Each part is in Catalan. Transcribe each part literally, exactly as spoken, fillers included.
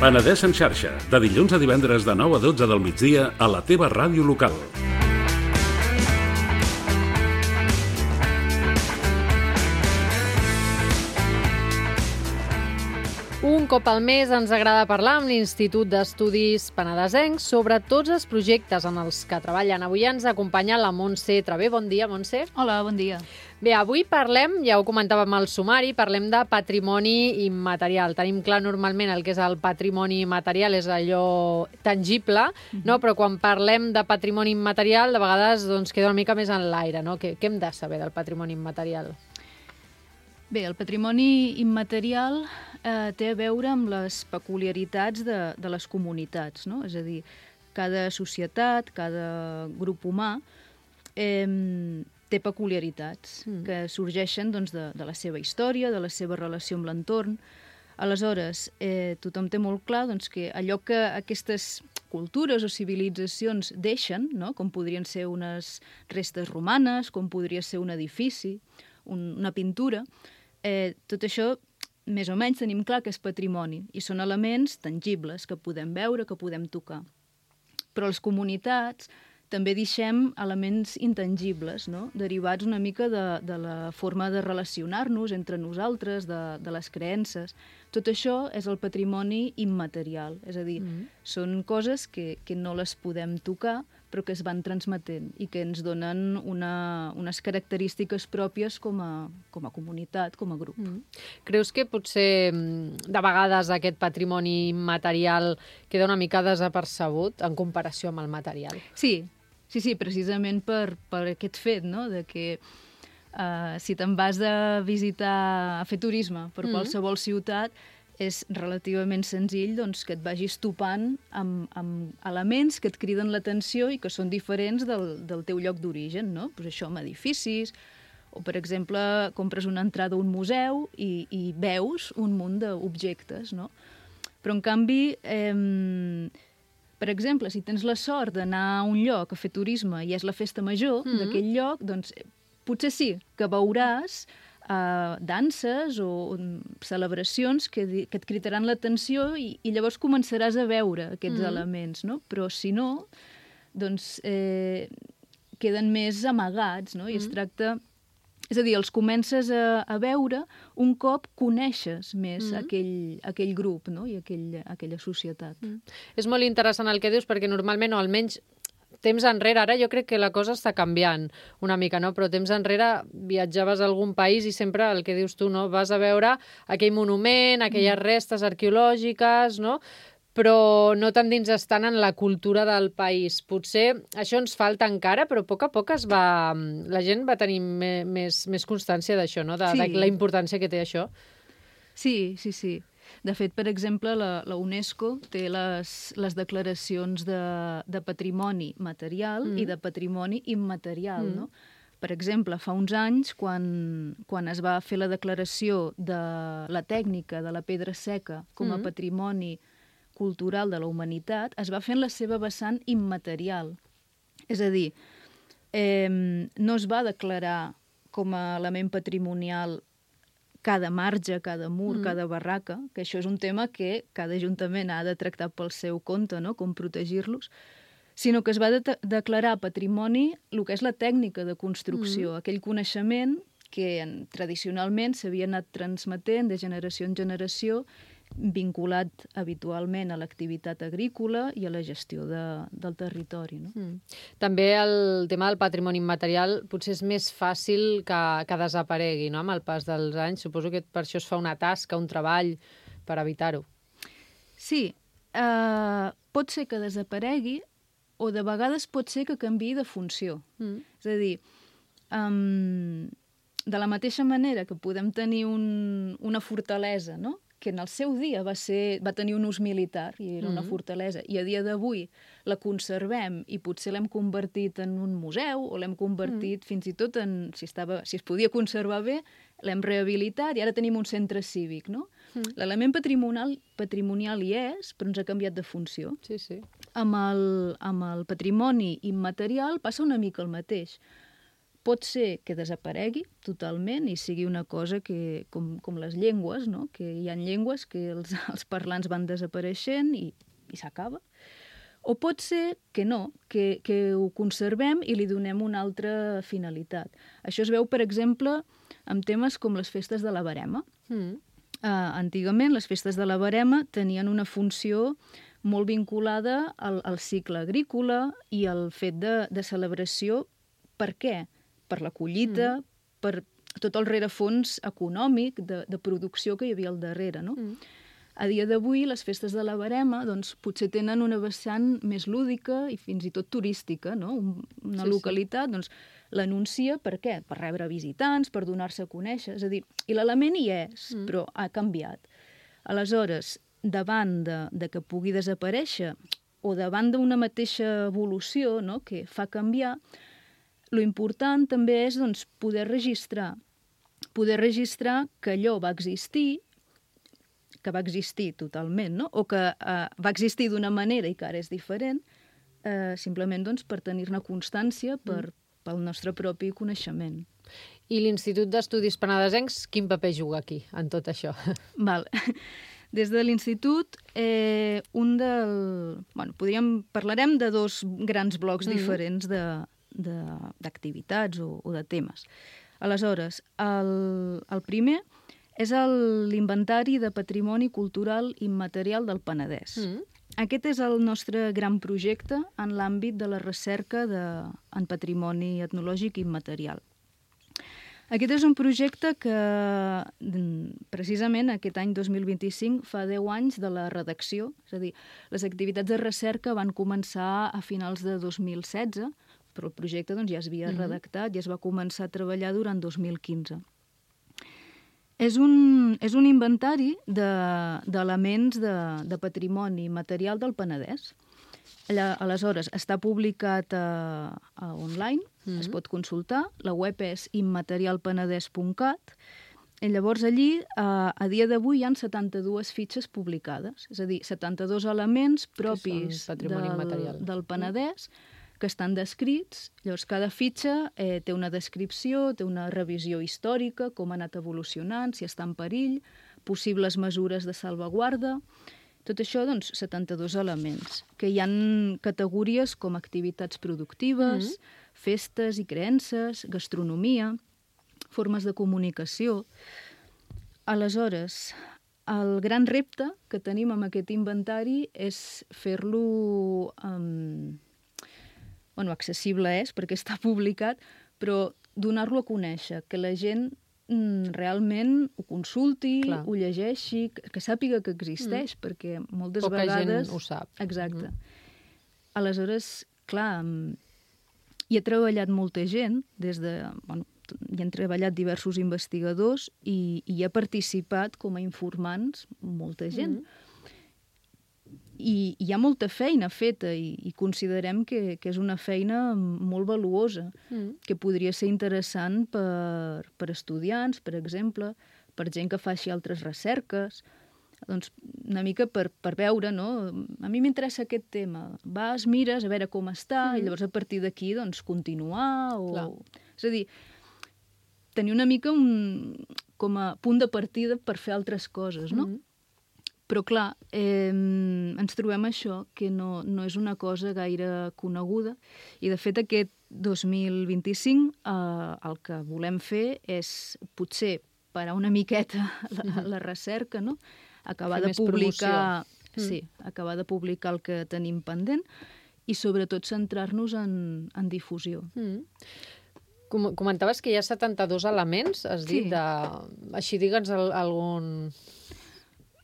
Penedès en xarxa, de dilluns a divendres de nou a dotze del migdia a la teva ràdio local. Un cop al mes ens agrada parlar amb l'Institut d'Estudis Penedesencs sobre tots els projectes en els que treballen. Avui ens acompanya la Montse Travé. Bon dia, Montse. Hola, bon dia. Bé, avui parlem, ja ho comentàvem al sumari, parlem de patrimoni immaterial. Tenim clar normalment el que és el patrimoni material, és allò tangible, mm-hmm. no? Però quan parlem de patrimoni immaterial, de vegades doncs, queda una mica més en l'aire, no? Què, què hem de saber del patrimoni immaterial? Bé, el patrimoni immaterial eh, té a veure amb les peculiaritats de, de les comunitats, no? És a dir, cada societat, cada grup humà eh, té peculiaritats mm. que sorgeixen doncs, de, de la seva història, de la seva relació amb l'entorn. Aleshores, eh, tothom té molt clar doncs, que allò que aquestes cultures o civilitzacions deixen, no? Com podrien ser unes restes romanes, com podria ser un edifici, un, una pintura, eh, tot això més o menys tenim clar que és patrimoni i són elements tangibles que podem veure, que podem tocar. Però les comunitats també deixem elements intangibles, no? Derivats una mica de, de la forma de relacionar-nos entre nosaltres, de, de les creences. Tot això és el patrimoni immaterial, és a dir, mm-hmm. són coses que, que no les podem tocar, però que es van transmetent i que ens donen una, unes característiques pròpies com a, com a comunitat, com a grup. Mm. Creus que potser de vegades aquest patrimoni immaterial queda una mica desapercebut en comparació amb el material? Sí, sí, sí, precisament per, per aquest fet, no?, de que uh, si te'n vas a visitar, a fer turisme per mm. qualsevol ciutat, és relativament senzill doncs, que et vagis topant amb, amb elements que et criden l'atenció i que són diferents del, del teu lloc d'origen, no? Pues això, amb edificis, o, per exemple, compres una entrada a un museu i, i veus un munt d'objectes, no? Però, en canvi, eh, per exemple, si tens la sort d'anar a un lloc a fer turisme i és la festa major mm-hmm. d'aquell lloc, doncs potser sí que veuràs Uh, danses o, o celebracions que, que et critaran l'atenció i, i llavors començaràs a veure aquests mm. elements, no? Però si no, doncs eh, queden més amagats, no? I mm. es tracta... És a dir, els comences a, a veure un cop coneixes més mm. aquell, aquell grup, no? I aquell, aquella societat. Mm. És molt interessant el que dius perquè normalment, o almenys temps enrere, ara jo crec que la cosa està canviant una mica, no? Però temps enrere viatjaves a algun país i sempre el que dius tu, no? Vas a veure aquell monument, aquelles mm. restes arqueològiques, no? Però no t'endinses tant en la cultura del país. Potser això ens falta encara, però a poc a poc es va... la gent va tenir més, més constància d'això, no? De, sí. de la importància que té això. Sí, sí, sí. De fet, per exemple, la, la UNESCO té les, les declaracions de, de patrimoni material mm. i de patrimoni immaterial, mm. no? Per exemple, fa uns anys, quan, quan es va fer la declaració de la tècnica de la pedra seca com a mm. patrimoni cultural de la humanitat, es va fer en la seva vessant immaterial. És a dir, eh, no es va declarar com a element patrimonial cada marge, cada mur, mm. cada barraca, que això és un tema que cada ajuntament ha de tractar pel seu compte, no?, com protegir-los, sinó que es va de- declarar patrimoni el que és la tècnica de construcció, mm. aquell coneixement que en, tradicionalment s'havia anat transmetent de generació en generació, vinculat habitualment a l'activitat agrícola i a la gestió de, del territori, no? Mm. També el tema del patrimoni immaterial potser és més fàcil que, que desaparegui, no?, amb el pas dels anys. Suposo que per això es fa una tasca, un treball per evitar-ho. Sí, eh, pot ser que desaparegui o de vegades pot ser que canviï de funció. Mm. És a dir, um, de la mateixa manera que podem tenir un, una fortalesa, no?, que en el seu dia va, ser, va tenir un ús militar i era una mm. fortalesa, i a dia d'avui la conservem i potser l'hem convertit en un museu o l'hem convertit mm. fins i tot en, si, estava, si es podia conservar bé, l'hem rehabilitat i ara tenim un centre cívic, no? Mm. L'element patrimonial, patrimonial hi és, però ens ha canviat de funció. Sí, sí. Amb el, amb el patrimoni immaterial passa una mica el mateix. pot ser que desaparegui totalment i sigui una cosa que, com, com les llengües, no? Que hi ha llengües que els, els parlants van desapareixent i, i s'acaba. O pot ser que no, que, que ho conservem i li donem una altra finalitat. Això es veu, per exemple, amb temes com les festes de la Verema. Mm. Uh, antigament, les festes de la Verema tenien una funció molt vinculada al, al cicle agrícola i al fet de, de celebració. Per què? Per la collita, mm. per tot el rerefons econòmic de, de producció que hi havia al darrere, no? Mm. A dia d'avui, les festes de la Verema doncs, potser tenen una vessant més lúdica i fins i tot turística, no? Una sí, localitat sí. doncs, l'anuncia per què? Per rebre visitants, per donar-se a conèixer. És a dir, i l'element hi és, mm. però ha canviat. Aleshores, davant de, de que pugui desaparèixer o davant d'una mateixa evolució, no? Que fa canviar, lo important també és doncs, poder registrar. Poder registrar que allò va existir, que va existir totalment, no? O que eh, va existir d'una manera i que ara és diferent, eh, simplement doncs, per tenir-ne constància per, mm. pel nostre propi coneixement. I l'Institut d'Estudis Penedesencs, quin paper juga aquí, en tot això? Val. Des de l'Institut, eh, un del... Bueno, podríem... parlarem de dos grans blocs mm. diferents de, de, d'activitats o, o de temes. Aleshores, el, el primer és l'Inventari de Patrimoni Cultural Immaterial del Penedès. Mm. Aquest és el nostre gran projecte en l'àmbit de la recerca de, en patrimoni etnològic immaterial. Aquest és un projecte que, precisament, aquest any dos mil vint-i-cinc fa deu anys de la redacció. És a dir, les activitats de recerca van començar a finals de dos mil setze, però el projecte doncs, ja es havia mm-hmm. redactat i es va començar a treballar durant dos mil quinze. És un, és un inventari d'elements de, de, de patrimoni material del Penedès. Allà, aleshores, està publicat a, a online, mm-hmm. es pot consultar. La web és immaterialpenedès punt cat. I llavors allí, a, a dia d'avui, hi ha setanta-dues fitxes publicades. És a dir, setanta-dos elements propis del, del Penedès, que estan descrits. Llavors, cada fitxa eh, té una descripció, té una revisió històrica, com ha anat evolucionant, si està en perill, possibles mesures de salvaguarda. Tot això, doncs, setanta-dos elements, que hi ha categories com activitats productives, mm-hmm. festes i creences, gastronomia, formes de comunicació. Aleshores, el gran repte que tenim amb aquest inventari és fer-lo... Um, bueno, accessible és, perquè està publicat, però donar-lo a conèixer, que la gent mm, realment ho consulti, Clar. ho llegeixi, que, que sàpiga que existeix, mm. perquè moltes Poca vegades... gent ho sap. Exacte. Mm. Aleshores, clar, hi ha treballat molta gent, des de... Bueno, hi han treballat diversos investigadors i, i hi ha participat com a informants molta gent. Mm. I hi ha molta feina feta i, i considerem que, que és una feina molt valuosa, mm. que podria ser interessant per, per estudiants, per exemple, per gent que faci altres recerques, doncs una mica per, per veure, no? A mi m'interessa aquest tema. Vas, mires, a veure com està, mm. i llavors a partir d'aquí doncs, continuar. O... Clar. És a dir, tenir una mica un, com a punt de partida per fer altres coses, no? Mm. Però, clar, eh, ens trobem això, que no, no és una cosa gaire coneguda. I, de fet, aquest dos mil vint-i-cinc eh, el que volem fer és, potser, parar una miqueta la, la recerca, no? Acabar de publicar... Sí, acabar de publicar el que tenim pendent i, sobretot, centrar-nos en, en difusió. Mm. Com comentaves que hi ha setanta-dos elements, has dit, sí. de... Així, digue'ns algun...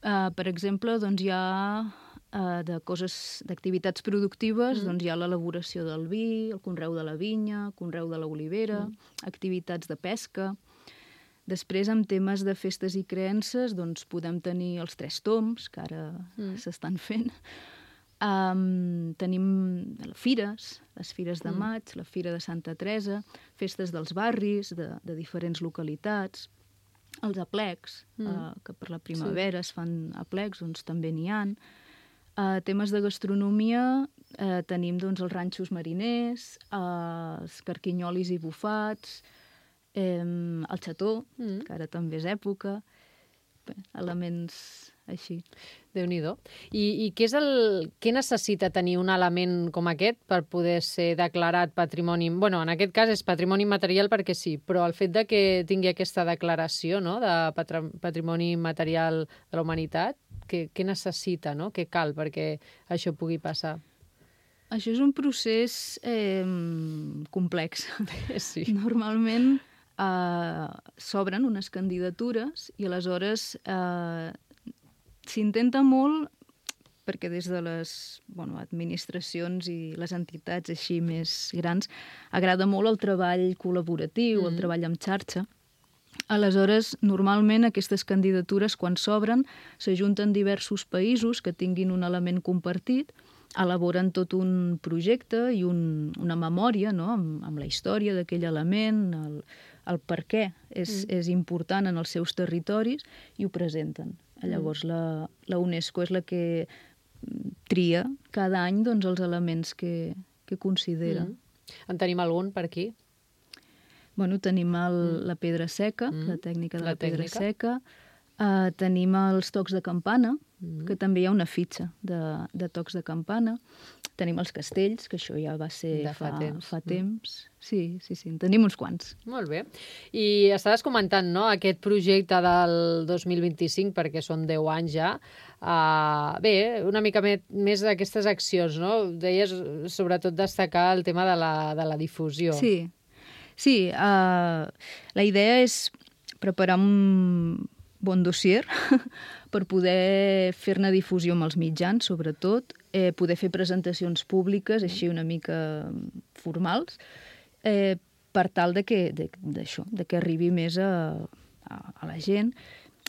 Uh, per exemple, doncs hi ha uh, de coses, d'activitats productives, mm. doncs hi ha l'elaboració del vi, el conreu de la vinya, el conreu de l'olivera, mm. activitats de pesca. Després, amb temes de festes i creences, doncs podem tenir els tres tombs, que ara mm. s'estan fent. Um, tenim fires, les fires de maig, mm. la fira de Santa Teresa, festes dels barris, de, de diferents localitats. Els aplecs, mm. uh, que per la primavera sí. es fan aplecs, doncs també n'hi ha. Uh, temes de gastronomia, eh, tenim doncs, els ranxos mariners, eh, els carquinyolis i bufats, eh, el xató, mm. que ara també és època, bé, elements així. Déu-n'hi-do. I, i què, és el, què necessita tenir un element com aquest per poder ser declarat patrimoni... Bueno, en aquest cas és patrimoni material perquè sí, però el fet de que tingui aquesta declaració, no?, de patrimoni material de la humanitat, què, què necessita, no?, què cal perquè això pugui passar? Això és un procés eh, complex. Sí. Normalment eh, s'obren unes candidatures i aleshores eh, s'intenta molt, perquè des de les bueno, administracions i les entitats així més grans agrada molt el treball col·laboratiu, mm. el treball en xarxa. Aleshores, normalment aquestes candidatures, quan s'obren, s'ajunten diversos països que tinguin un element compartit, elaboren tot un projecte i un, una memòria, no?, amb, amb la història d'aquell element, el, el per què és, mm. és important en els seus territoris, i ho presenten. Llavors, la, la UNESCO és la que tria cada any doncs, els elements que, que considera. Mm. En tenim algun per aquí? Bueno, tenim el, mm. la pedra seca, mm. la tècnica de la, la pedra tècnica. seca. Uh, tenim els tocs de campana, mm. que també hi ha una fitxa de, de tocs de campana. Tenim els castells, que això ja va ser de fa, fa temps. Fa temps. Mm. Sí, sí, sí, en tenim uns quants. Molt bé. I estaves comentant, no?, aquest projecte del dos mil vint-i-cinc, perquè són deu anys ja. Uh, bé, una mica més, més d'aquestes accions, no? Deies sobretot destacar el tema de la, de la difusió. Sí, sí. Uh, la idea és preparar un bon dossier per poder fer-ne difusió amb els mitjans, sobretot, eh, poder fer presentacions públiques, així una mica formals, eh, per tal de que, de, d'això, de que arribi més a, a, a la gent.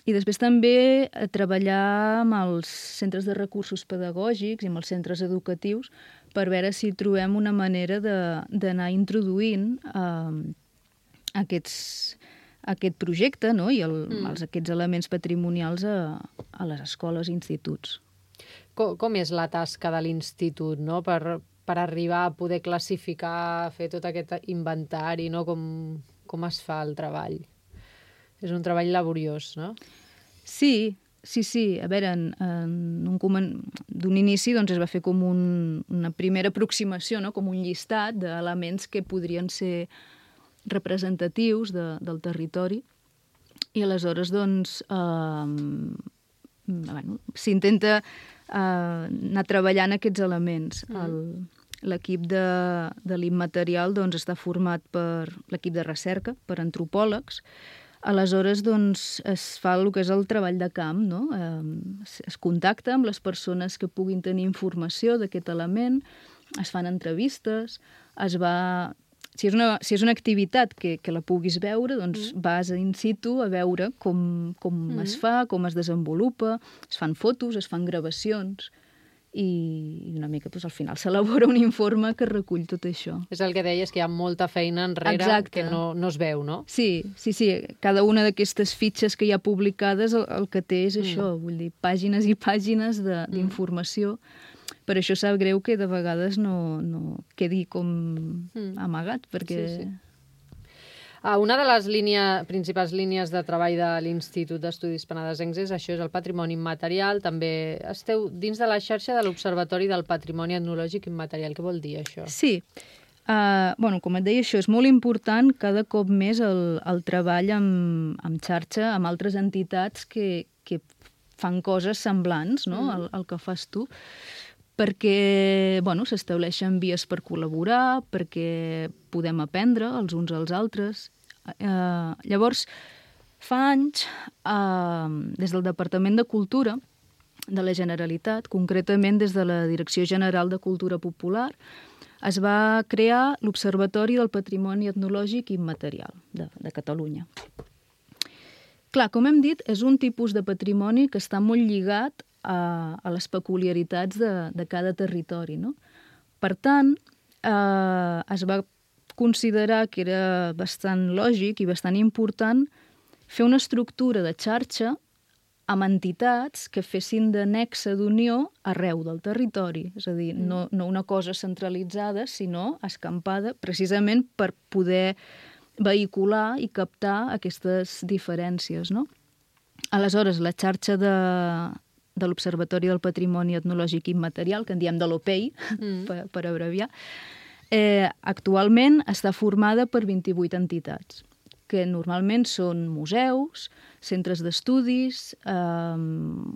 I després també a treballar amb els centres de recursos pedagògics i amb els centres educatius per veure si trobem una manera de, d'anar introduint eh, aquests... aquest projecte, no?, i el, mm. els, aquests elements patrimonials a, a les escoles i instituts. Com, com és la tasca de l'institut, no?, per, per arribar a poder classificar, fer tot aquest inventari, no?, com, com es fa el treball? És un treball laboriós, no? Sí, sí, sí. A veure, en, en un comen... d'un inici doncs, es va fer com un, una primera aproximació, no?, com un llistat d'elements que podrien ser representatius de, del territori, i aleshores doncs, eh, bueno, s'intenta eh, anar treballant aquests elements. Mm. El, l'equip de, de l'immaterial doncs, està format per l'equip de recerca, per antropòlegs. Aleshores doncs, es fa el que és el treball de camp, no? Eh, es, es contacta amb les persones que puguin tenir informació d'aquest element, es fan entrevistes, es va... Si és, una, si és una activitat que, que la puguis veure, doncs mm. vas in situ a veure com, com mm. es fa, com es desenvolupa, es fan fotos, es fan gravacions, i una mica doncs, al final s'elabora un informe que recull tot això. És el que deies, que hi ha molta feina enrere. Exacte. Que no, no es veu, no? Sí, sí, sí. Cada una d'aquestes fitxes que hi ha publicades el, el que té és mm. això, vull dir, pàgines i pàgines de, mm. d'informació. Per això sap greu que de vegades no, no quedi com mm. amagat, perquè... Sí, sí. Ah, una de les línia, principals línies de treball de l'Institut d'Estudis Penedesencs és això, és el patrimoni immaterial. També esteu dins de la xarxa de l'Observatori del Patrimoni Etnològic Immaterial. Què vol dir això? Sí. Uh, bueno, com et deia, això és molt important cada cop més el, el treball amb, amb xarxa, amb altres entitats que, que fan coses semblants, no?, mm. al, al que fas tu, perquè bueno, s'estableixen vies per col·laborar, perquè podem aprendre els uns als altres. Eh, llavors, fa anys, eh, des del Departament de Cultura de la Generalitat, concretament des de la Direcció General de Cultura Popular, es va crear l'Observatori del Patrimoni Etnològic Immaterial de, de Catalunya. Clar, com hem dit, és un tipus de patrimoni que està molt lligat a, a les peculiaritats de, de cada territori, no? Per tant, eh, es va considerar que era bastant lògic i bastant important fer una estructura de xarxa amb entitats que fessin de nexe d'unió arreu del territori. És a dir, mm. no, no una cosa centralitzada, sinó escampada precisament per poder vehicular i captar aquestes diferències, no? Aleshores, la xarxa de, de l'Observatori del Patrimoni Etnològic Immaterial, que en diem de l'O P E I, mm. per, per abreviar, eh, actualment està formada per vint-i-vuit entitats, que normalment són museus, centres d'estudis, eh,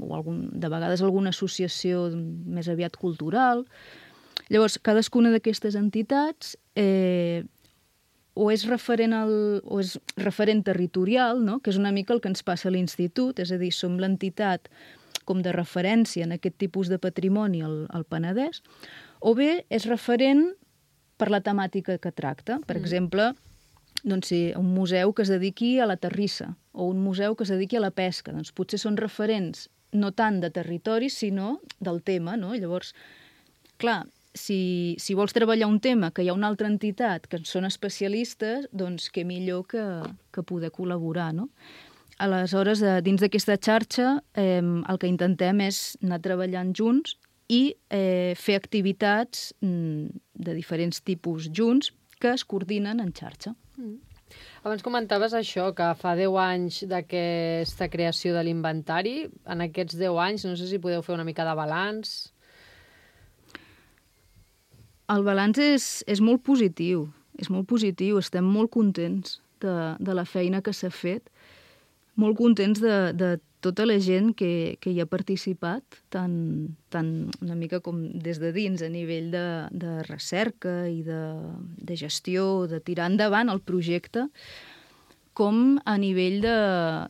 o algun, de vegades alguna associació més aviat cultural. Llavors, cadascuna d'aquestes entitats eh, o és referent, al, o és referent territorial, no? Que és una mica el que ens passa a l'institut, és a dir, som l'entitat com de referència en aquest tipus de patrimoni al, al Penedès, o bé és referent per la temàtica que tracta. Per mm. exemple, doncs sí, un museu que es dediqui a la terrissa o un museu que es dediqui a la pesca. Doncs potser són referents no tant de territori, sinó del tema, no? Llavors, clar, si, si vols treballar un tema que hi ha una altra entitat que són especialistes, doncs què millor que, que poder col·laborar, no? Aleshores, dins d'aquesta xarxa, eh, el que intentem és anar treballant junts i eh, fer activitats mm, de diferents tipus junts que es coordinen en xarxa. Mm. Abans comentaves això, que fa deu anys d'aquesta creació de l'inventari. En aquests deu anys, no sé si podeu fer una mica de balanç. El balanç és, és molt positiu, és molt positiu. Estem molt contents de, de la feina que s'ha fet, molt contents de, de tota la gent que, que hi ha participat, tant, tant una mica com des de dins, a nivell de, de recerca i de, de gestió, de tirar endavant el projecte, com a nivell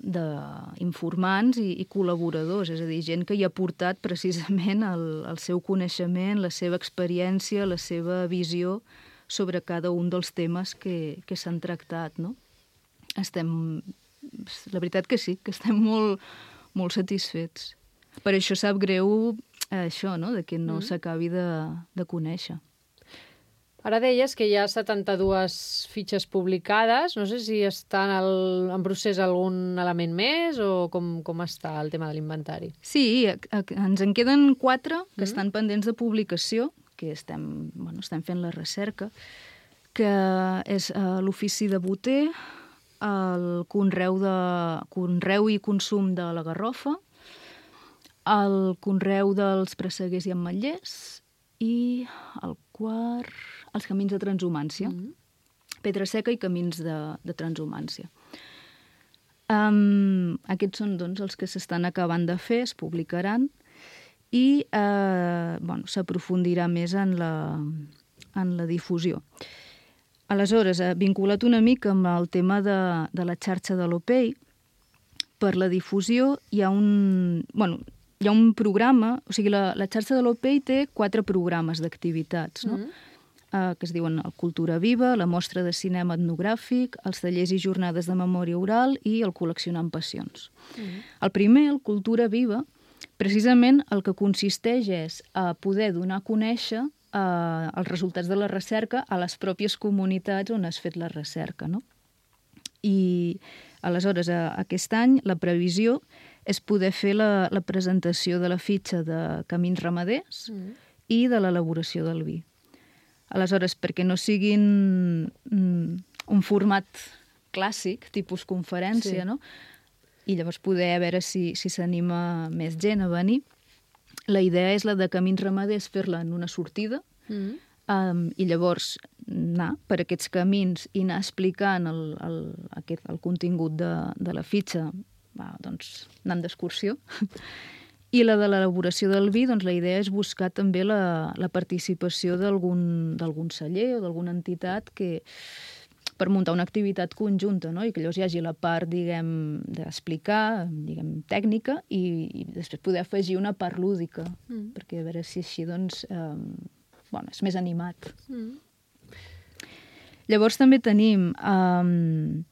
d'informants i, i col·laboradors, és a dir, gent que hi ha portat precisament el, el seu coneixement, la seva experiència, la seva visió sobre cada un dels temes que, que s'han tractat, no? Estem... La veritat que sí, que estem molt, molt satisfets. Per això sap greu eh, això, no?, de que no mm. s'acabi de, de conèixer. Ara deies que hi ha setanta-dues fitxes publicades. No sé si està en, el, en procés algun element més o com, com està el tema de l'inventari. Sí, a, a, ens en queden quatre que mm. estan pendents de publicació, que estem, bueno, estem fent la recerca, que és uh, l'ofici de boter, el conreu, de, conreu i consum de la garrofa, el conreu dels presseguers i ametllers i el quart, els camins de transhumància. Mm-hmm. Pedra seca i camins de, de transhumància. Um, aquests són doncs, els que s'estan acabant de fer, es publicaran i eh, bueno, s'aprofundirà més en la, en la difusió. Aleshores, eh, vinculat una mica amb el tema de, de la xarxa de l'O P E I, per la difusió hi ha un, bueno, hi ha un programa, o sigui, la, la xarxa de l'O P E I té quatre programes d'activitats, no? Mm-hmm. eh, que es diuen el Cultura Viva, la mostra de cinema etnogràfic, els tallers i jornades de memòria oral i el Col·leccionant Passions. Mm-hmm. El primer, el Cultura Viva, precisament el que consisteix és a poder donar a conèixer Uh, els resultats de la recerca a les pròpies comunitats on has fet la recerca, no? I aleshores, uh, aquest any, la previsió és poder fer la, la presentació de la fitxa de camins ramaders mm. i de l'elaboració del vi. Aleshores, perquè no siguin mm, un format clàssic, tipus conferència, sí. no? I llavors poder veure si, si s'anima més gent a venir. La idea és la de camins ramaders, fer-la en una sortida mm. um, i llavors anar per aquests camins i anar explicant el, el, aquest, el contingut de, de la fitxa, va, doncs anant d'excursió. I la de l'elaboració del vi, doncs la idea és buscar també la, la participació d'algun d'algun celler o d'alguna entitat que per muntar una activitat conjunta, no? I que llavors hi hagi la part, diguem, d'explicar, diguem, tècnica, i, i després poder afegir una part lúdica, mm. perquè a veure si així, doncs, eh, bueno, és més animat. Mm. Llavors també tenim um,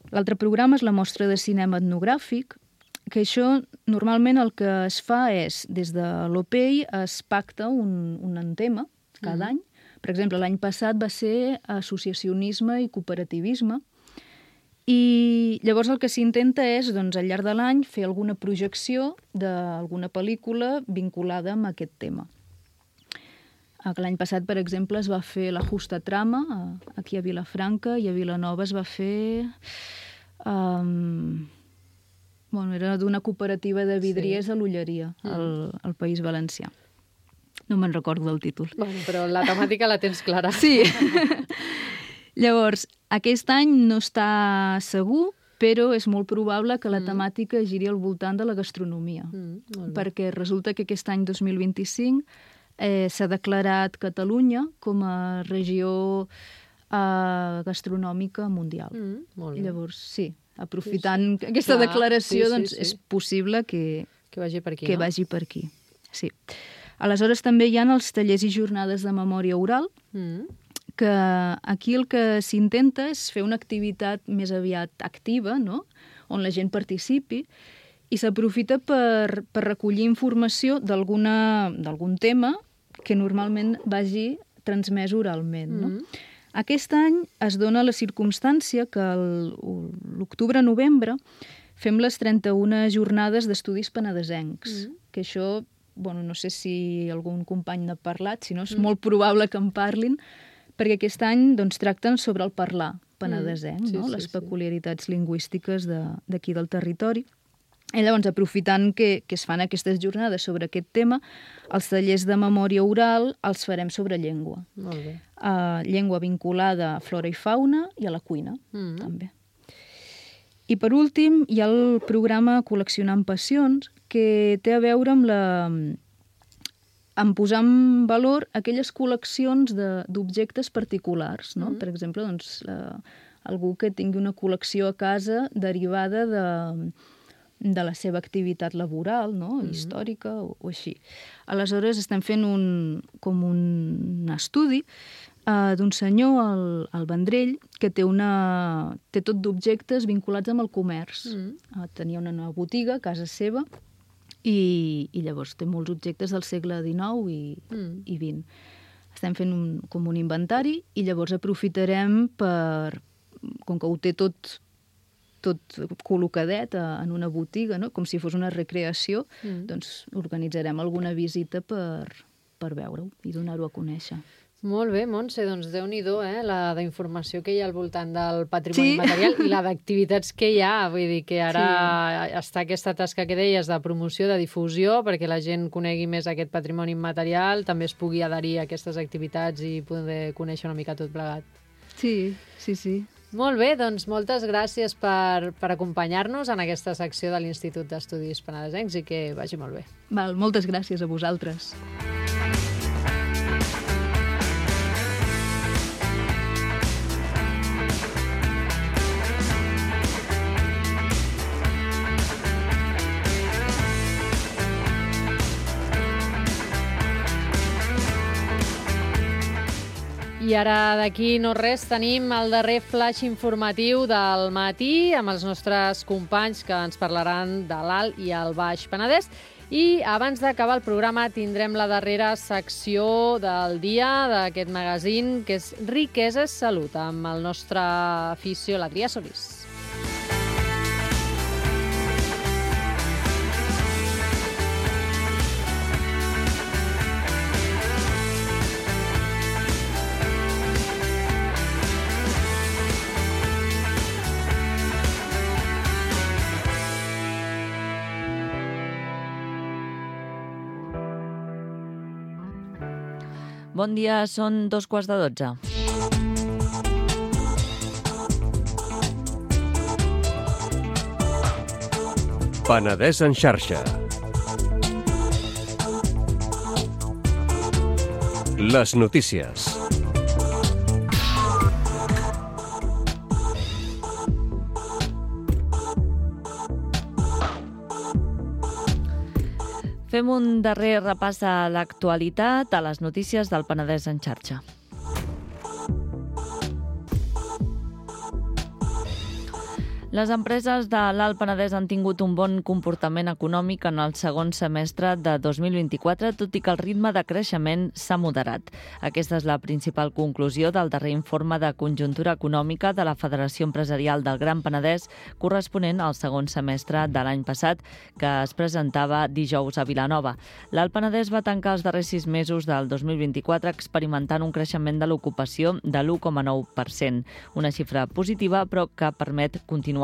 l'altre programa és la mostra de cinema etnogràfic, que això normalment el que es fa és, des de l'O P E I es pacta un, un tema cada mm. any. Per exemple, l'any passat va ser associacionisme i cooperativisme I llavors el que s'intenta és, doncs, al llarg de l'any, fer alguna projecció d'alguna pel·lícula vinculada amb aquest tema. L'any passat, per exemple, es va fer La Justa Trama, aquí a Vilafranca, i a Vilanova es va fer... Um, bueno, era d'una cooperativa de vidriers sí. a l'Olleria, al, al País Valencià. No me'n recordo del títol. Bueno, però la temàtica la tens clara. Sí. Llavors, aquest any no està segur, però és molt probable que la temàtica giri al voltant de la gastronomia. Mm, perquè resulta que aquest any dos mil vint-i-cinc eh, s'ha declarat Catalunya com a regió eh, gastronòmica mundial. Mm, molt bé. Llavors, sí, aprofitant sí, sí. aquesta Clar, declaració, sí, sí, doncs sí. és possible que, que vagi per aquí. Que no? vagi per aquí, sí. Aleshores, també hi ha els tallers i jornades de memòria oral, mm. que aquí el que s'intenta és fer una activitat més aviat activa, no? On la gent participi, i s'aprofita per, per recollir informació d'algun tema que normalment vagi transmès oralment. No? Mm. Aquest any es dona la circumstància que l'octubre-novembre fem les trenta-una jornades d'estudis penedesencs, mm. que això... Bueno, no sé si algun company n'ha parlat, si no és mm. molt probable que en parlin, perquè aquest any doncs, tracten sobre el parlar penedesenc, mm. sí, no? sí, les peculiaritats sí. lingüístiques d'aquí de, del territori. I llavors, aprofitant que, que es fan aquestes jornades sobre aquest tema, els tallers de memòria oral els farem sobre llengua. Molt bé. Uh, llengua vinculada a flora i fauna i a la cuina, mm. també. I per últim, hi ha el programa Col·leccionant Passions, que té a veure amb la... en posar en valor aquelles col·leccions d'objectes particulars, no? Mm. Per exemple, doncs, la, algú que tingui una col·lecció a casa derivada de, de la seva activitat laboral, no? Mm. històrica o, o així. Aleshores, estem fent un, com un estudi uh, d'un senyor, al, al Vendrell, que té, una, té tot d'objectes vinculats amb el comerç. Mm. Uh, tenia una nova botiga a casa seva, I, i llavors té molts objectes del segle dinou i, mm. i vint. Estem fent un, com un inventari i llavors aprofitarem per, com que ho té tot, tot col·locadet a, en una botiga, no? Com si fos una recreació, mm. doncs organitzarem alguna visita per, per veure-ho i donar-ho a conèixer. Molt bé, Montse, doncs Déu-n'hi-do, eh? La d'informació que hi ha al voltant del patrimoni sí. material i la d'activitats que hi ha. Vull dir que ara sí. està aquesta tasca que deies de promoció, de difusió, perquè la gent conegui més aquest patrimoni immaterial, també es pugui adherir a aquestes activitats i poder conèixer una mica tot plegat. Sí, sí, sí. Molt bé, doncs moltes gràcies per, per acompanyar-nos en aquesta secció de l'Institut d'Estudis Penedesencs i que vagi molt bé. Val, moltes gràcies a vosaltres. I ara d'aquí no res tenim el darrer flash informatiu del matí amb els nostres companys que ens parlaran de l'Alt i el Baix Penedès. I abans d'acabar el programa tindrem la darrera secció del dia d'aquest magazín, que és Riquesa és Salut, amb el nostre afició, l'Adrià Solís. Bon dia, són dos quarts de dotze. Penedès en xarxa. Les notícies. Fem un darrer repàs de l'actualitat a les notícies del Penedès en xarxa. Les empreses de l'Alt Penedès han tingut un bon comportament econòmic en el segon semestre de dos mil vint-i-quatre, tot i que el ritme de creixement s'ha moderat. Aquesta és la principal conclusió del darrer informe de conjuntura econòmica de la Federació Empresarial del Gran Penedès, corresponent al segon semestre de l'any passat, que es presentava dijous a Vilanova. L'Alt Penedès va tancar els darrers sis mesos del dos mil vint-i-quatre experimentant un creixement de l'ocupació de l'u coma nou per cent, una xifra positiva però que permet continuar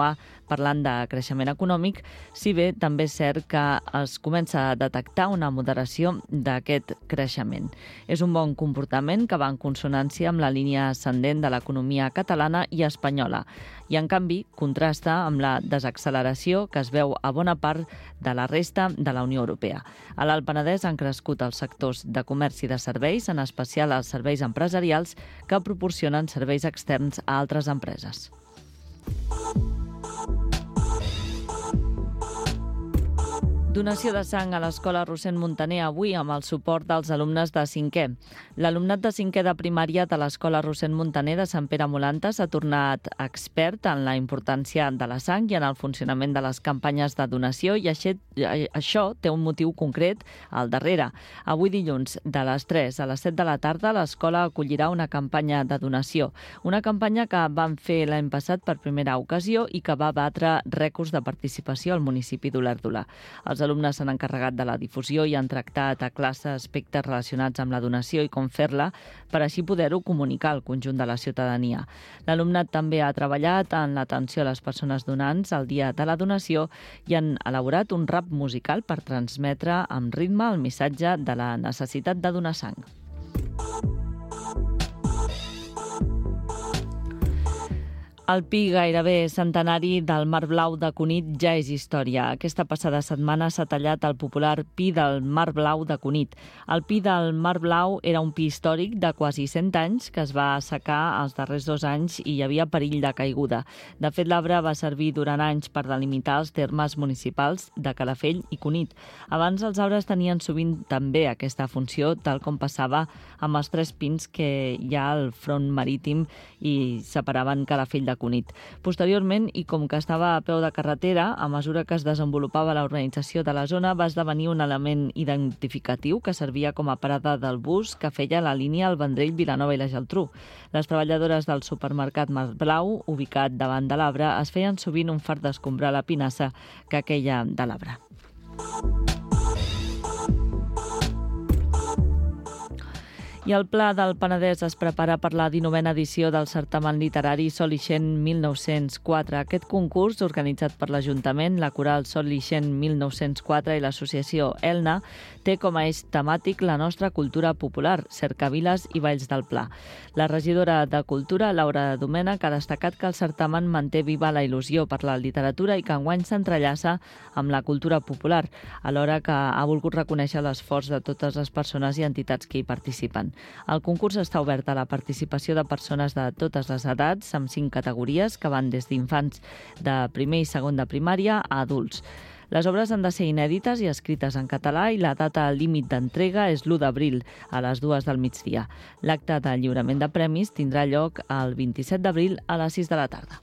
parlant de creixement econòmic, si bé també és cert que es comença a detectar una moderació d'aquest creixement. És un bon comportament que va en consonància amb la línia ascendent de l'economia catalana i espanyola i, en canvi, contrasta amb la desacceleració que es veu a bona part de la resta de la Unió Europea. A l'Alt Penedès han crescut els sectors de comerç i de serveis, en especial els serveis empresarials que proporcionen serveis externs a altres empreses. Donació de sang a l'Escola Rossend Muntaner avui amb el suport dels alumnes de cinquè. L'alumnat de cinquè de primària de l'Escola Rossend Muntaner de Sant Pere Molanta s'ha tornat expert en la importància de la sang i en el funcionament de les campanyes de donació i això té un motiu concret al darrere. Avui dilluns, de les tres a les set de la tarda, l'escola acollirà una campanya de donació. Una campanya que van fer l'any passat per primera ocasió i que va batre rècords de participació al municipi d'Olèrdola. Els alumnes s'han encarregat de la difusió i han tractat a classe aspectes relacionats amb la donació i com fer-la per així poder-ho comunicar al conjunt de la ciutadania. L'alumnat també ha treballat en l'atenció a les persones donants el dia de la donació i han elaborat un rap musical per transmetre amb ritme el missatge de la necessitat de donar sang. El pi gairebé centenari del Mar Blau de Cunit ja és història. Aquesta passada setmana s'ha tallat el popular pi del Mar Blau de Cunit. El pi del Mar Blau era un pi històric de quasi cent anys que es va assecar els darrers dos anys i hi havia perill de caiguda. De fet, l'arbre va servir durant anys per delimitar els termes municipals de Calafell i Cunit. Abans els arbres tenien sovint també aquesta funció, tal com passava amb els tres pins que hi ha al front marítim i separaven Calafell de Cunit. Posteriorment, i com que estava a peu de carretera, a mesura que es desenvolupava la urbanització de la zona, va esdevenir un element identificatiu que servia com a parada del bus que feia la línia al Vendrell, Vilanova i la Geltrú. Les treballadores del supermercat Mar Blau, ubicat davant de l'arbre, es feien sovint un fart d'escombrar la pinassa que queia de l'arbre. I el Pla del Penedès es prepara per la dinovena edició del certamen literari Sol Ixent mil nou-cents quatre. Aquest concurs, organitzat per l'Ajuntament, la Coral Sol Ixent mil nou-cents quatre i l'associació Elna, té com a eix temàtic la nostra cultura popular, cercaviles i balls del Pla. La regidora de Cultura, Laura Domènech, ha destacat que el certamen manté viva la il·lusió per la literatura i que enguany s'entrellaça amb la cultura popular, alhora que ha volgut reconèixer l'esforç de totes les persones i entitats que hi participen. El concurs està obert a la participació de persones de totes les edats, amb cinc categories que van des d'infants de primer i segon de primària a adults. Les obres han de ser inèdites i escrites en català i la data límit d'entrega és l'u d'abril, a les dues del migdia. L'acte de lliurament de premis tindrà lloc el vint-i-set d'abril a les sis de la tarda.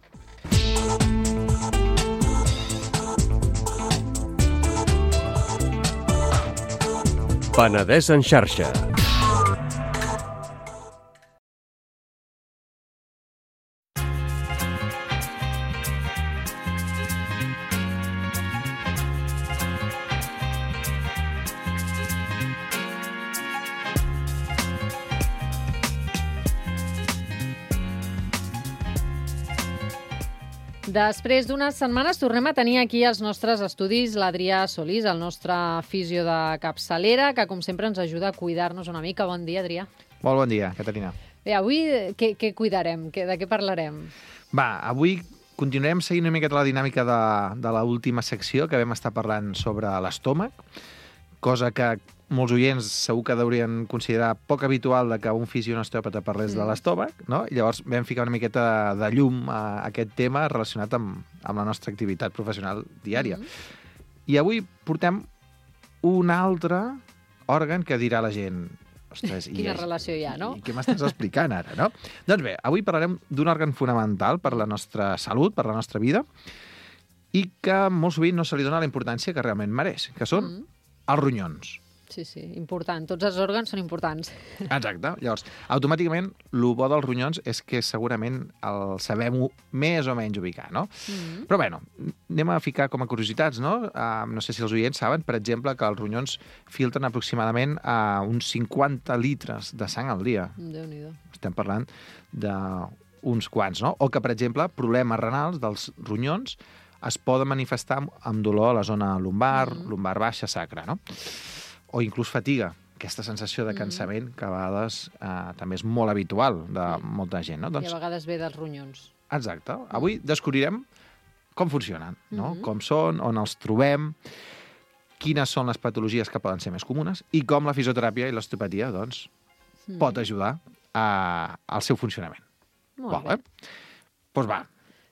Penedès en xarxa. Després d'unes setmanes tornem a tenir aquí als nostres estudis l'Adrià Solís, el nostre fisio de capçalera, que com sempre ens ajuda a cuidar-nos una mica. Bon dia, Adrià. Molt bon dia, Caterina. Bé, avui què, què cuidarem? De què parlarem? Va, avui continuarem seguint una miqueta la dinàmica de, de l'última secció que vam estar parlant sobre l'estómac, cosa que molts oients segur que deurien considerar poc habitual de que un fisio un osteòpata parlés mm. de l'estómac, no? I llavors vam ficar una miqueta de llum a aquest tema relacionat amb, amb la nostra activitat professional diària. Mm. I avui portem un altre òrgan que dirà la gent ostres, Quina i, relació hi ha, no? I què m'estàs explicant ara, no? Doncs bé, avui parlarem d'un òrgan fonamental per la nostra salut, per la nostra vida, i que molt sovint no se li dona la importància que realment mereix, que són mm. els ronyons. Sí, sí, important. Tots els òrgans són importants. Exacte. Llavors, automàticament, el bo dels ronyons és que segurament el sabem més o menys ubicar, no? Mm. Però, bueno, anem a ficar com a curiositats, no? Uh, no sé si els oients saben, per exemple, que els ronyons filtren aproximadament uh, uns cinquanta litres de sang al dia. Déu-n'hi-do. Estem parlant d'uns quants, no? O que, per exemple, problemes renals dels ronyons es poden manifestar amb dolor a la zona lumbar, mm. lumbar baixa, sacra, no? O inclús fatiga, aquesta sensació de cansament que a vegades eh, també és molt habitual de molta gent. No? Doncs... I a vegades ve dels ronyons. Exacte. Avui descobrirem com funcionen, no? Mm-hmm. Com són, on els trobem, quines són les patologies que poden ser més comunes i com la fisioteràpia i l'osteopatia doncs, mm. pot ajudar a, al seu funcionament. Molt Vol, bé. Eh? Doncs va,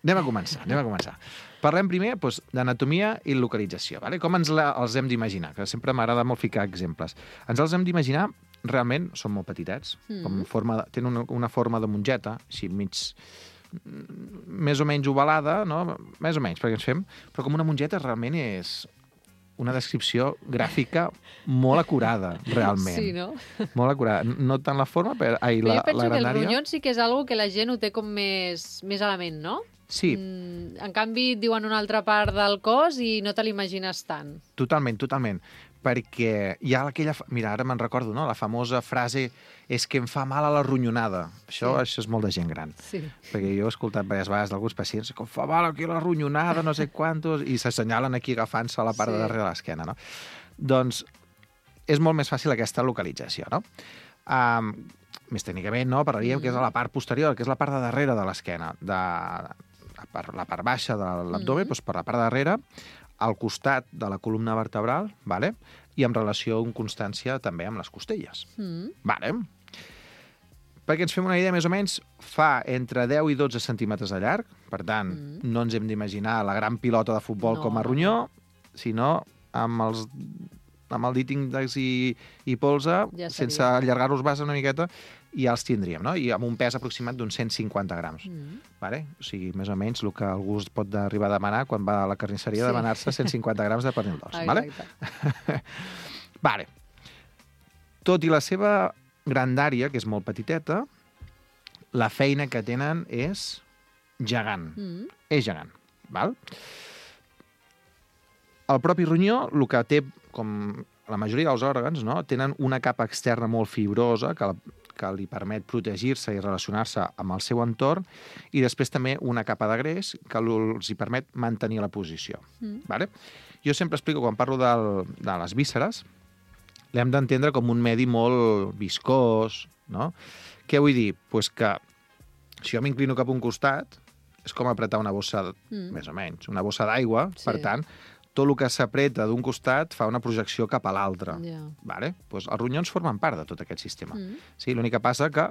anem a començar, anem a començar. Parlem primer doncs, d'anatomia i localització. Vale? Com ens la, els hem d'imaginar? Que sempre m'agrada molt ficar exemples. Ens els hem d'imaginar, realment, són molt petitets, mm. com forma, tenen una, una forma de mongeta, així mig, més o menys ovalada, no? Més o menys, perquè ens fem, però com una mongeta realment és una descripció gràfica molt acurada, realment. Sí, no? Molt acurada. No tant la forma, però... Ai, però la, jo penso la que grandària... el ronyons sí que és algo que la gent ho té com més, més a la ment, no? Sí. Mm, en canvi, et diuen una altra part del cos i no te l'imagines tant. Totalment, totalment. Perquè hi ha aquella... Mira, ara me'n recordo, no? La famosa frase és que em fa mal a la ronyonada. Això, sí. això és molt de gent gran. Sí. Perquè jo he escoltat diverses vegades d'alguns pacients que em fa mal aquí la ronyonada, no sé quantos, i s'assenyalen aquí agafant-se a la part sí. de darrere de l'esquena, no? Doncs és molt més fàcil aquesta localització, no? Um, més tècnicament, no? Parlaríem mm. que és a la part posterior, que és la part de darrere de l'esquena, de la part, la part baixa de l'abdomen, mm. doncs per la part de darrere, al costat de la columna vertebral, vale? I en relació amb constància també amb les costelles. Mm. Vale? Perquè ens fem una idea, més o menys, fa entre deu i dotze centímetres de llarg, per tant, mm. no ens hem d'imaginar la gran pilota de futbol no. com a ronyó, sinó amb els amb el dit índex i, i polze, ja sense allargar-los base una miqueta, i ja els tindríem, no? I amb un pes aproximat d'uns cent cinquanta grams. Mm. Vale? O sigui, més o menys el que algú es pot arribar a demanar quan va a la carnisseria, sí. demanar-se cent cinquanta grams de pernil d'os. Vale? Vale. Tot i la seva grandària, que és molt petiteta, la feina que tenen és gegant. Mm. És gegant. Val? El propi ronyó, el que té, com la majoria dels òrgans, no? Tenen una capa externa molt fibrosa que, que li permet protegir-se i relacionar-se amb el seu entorn, i després també una capa de greix que els hi permet mantenir la posició. Mm. Vale? Jo sempre explico, quan parlo del, de les vísceres, l'hem d'entendre com un medi molt viscós, no? Què vull dir? Pues que si jo m'inclino cap a un costat, és com apretar una bossa, mm. més o menys, una bossa d'aigua, sí. Per tant, tot el que s'apreta d'un costat fa una projecció cap a l'altre. Yeah. Vale? Pues els ronyons formen part de tot aquest sistema. Mm. Sí, l'únic que passa que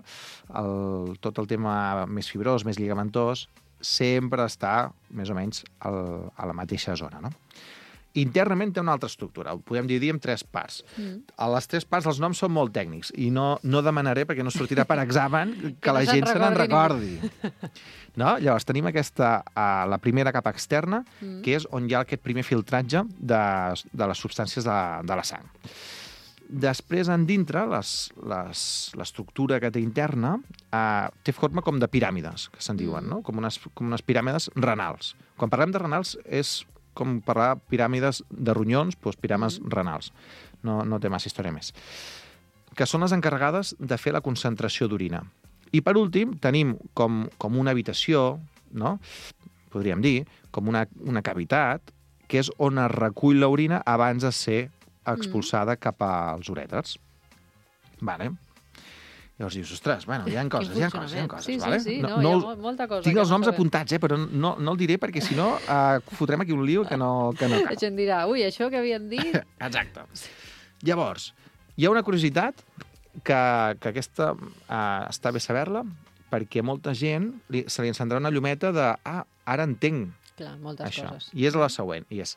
el, tot el tema més fibrós, més lligamentós, sempre està més o menys al, a la mateixa zona, no? Internament té una altra estructura, ho podem dividir en tres parts. Mm. A les tres parts els noms són molt tècnics i no, no demanaré, perquè no sortirà per examen, que, que la no gent se n'en recordi. No? Llavors tenim aquesta, uh, la primera capa externa, mm. que és on hi ha aquest primer filtratge de, de les substàncies de, de la sang. Després, en dintre, l'estructura que té interna uh, té forma com de piràmides, que se'n diuen, mm. no? Com unes, com unes piràmides renals. Quan parlem de renals és com parlar piràmides de ronyons, doncs piràmides mm. renals. No, no té massa història més. Que són les encarregades de fer la concentració d'orina. I per últim, tenim com, com una habitació, no? Podríem dir, com una, una cavitat, que és on es recull l'orina abans de ser expulsada mm. cap als urèters. Vale. Llavors dius, ostres, bueno, hi ha coses, hi ha coses, hi ha coses. Sí, vale? sí, sí, no, no, no, hi ha molta cosa. Tinc els noms apuntats, eh, però no, no el diré perquè si no uh, fotrem aquí un lío que no, que no cal. La gent dirà, ui, això que havien dit... Exacte. Llavors, hi ha una curiositat que, que aquesta uh, està bé saber-la, perquè molta gent li, se li encendrà una llumeta de, ah, ara entenc Clar, moltes això. Coses. I és la següent, i és...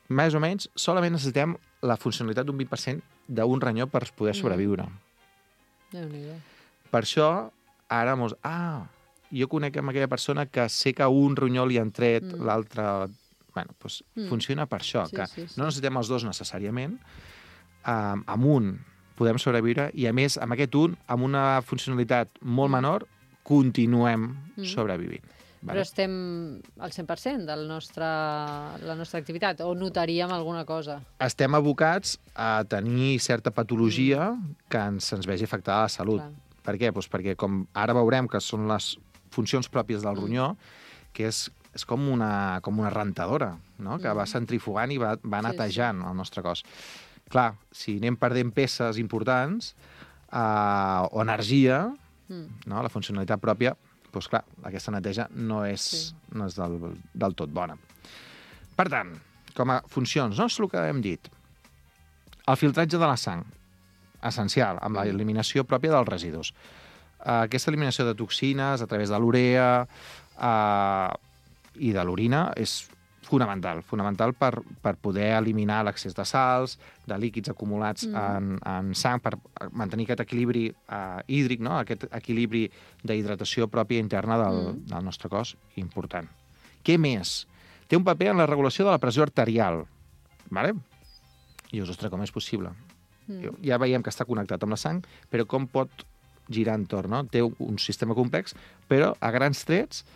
més o menys, solament necessitem la funcionalitat d'un vint per cent d'un ronyó per poder sobreviure. Mm. Déu-n'hi-do. Per això, ara mos... Ah, jo conec amb aquella persona que sé que un ronyó li han tret, mm. l'altre... Bueno, doncs mm. funciona per això, sí, que sí, sí. no necessitem els dos necessàriament. Um, amb un podem sobreviure i, a més, amb aquest un, amb una funcionalitat molt menor, continuem mm. sobrevivint. Vale? Però estem al cent per cent de la nostra, la nostra activitat, o notaríem alguna cosa? Estem abocats a tenir certa patologia mm. que ens, ens vegi afectada a la salut. Clar. Per què? Pues perquè, com ara veurem que són les funcions pròpies del ronyó, mm. que és, és com, una, com una rentadora, no? que mm. va centrifugant i va, va netejant sí, sí. el nostre cos. Clar, si anem perdent peces importants uh, o energia, mm. no? la funcionalitat pròpia, doncs clar, aquesta neteja no és, sí. no és del, del tot bona. Per tant, com a funcions, no és el que hem dit. El filtratge de la sang, essencial, amb l'eliminació pròpia dels residus. Uh, aquesta eliminació de toxines a través de l'urea uh, i de l'orina és fonamental, fonamental per, per poder eliminar l'excés de sals, de líquids acumulats mm. en, en sang, per mantenir aquest equilibri uh, hídric, no? Aquest equilibri d'hidratació pròpia interna del, mm. del nostre cos, important. Què més? Té un paper en la regulació de la pressió arterial. Vale? I dius, ostres, com és possible? Mm. Ja veiem que està connectat amb la sang, però com pot girar entorn, no? Té un sistema complex, però a grans trets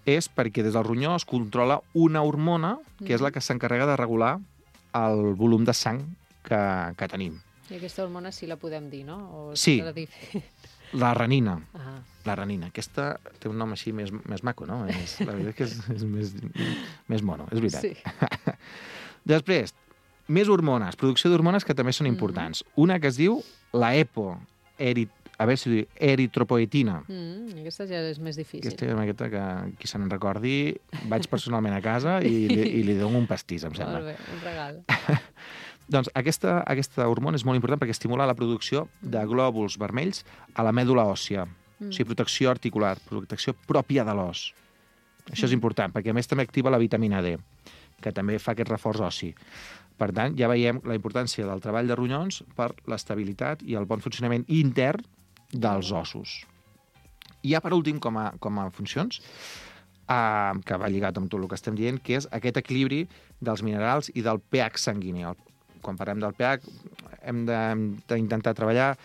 és perquè des del ronyó es controla una hormona que és la que s'encarrega de regular el volum de sang que, que tenim. I aquesta hormona sí la podem dir, no? O sí, la renina. Ah. La renina. Aquesta té un nom així més, més maco, no? És, la veritat que és, és més, més mono, és veritat. Sí. Després, més hormones, producció d'hormones que també són importants. Mm. Una que es diu la EPO, erit a veure si diu eritropoetina. Mm, aquesta ja és més difícil. Aquesta és una miqueta que, qui se n'en recordi, vaig personalment a casa i li, i li dono un pastís, em sembla. Molt bé, un regal. Doncs aquesta, aquesta hormona és molt important perquè estimula la producció de glòbuls vermells a la mèdula òssia. Mm. O sigui, protecció articular, protecció pròpia de l'os. Això és important, perquè a més també activa la vitamina D, que també fa aquest reforç ossi. Per tant, ja veiem la importància del treball de ronyons per l'estabilitat i el bon funcionament intern dels ossos. I ja per últim, com a, com a funcions, eh, que va lligat amb tot el que estem dient, que és aquest equilibri dels minerals i del pH sanguini. Quan parlem del pH, hem d'intentar treballar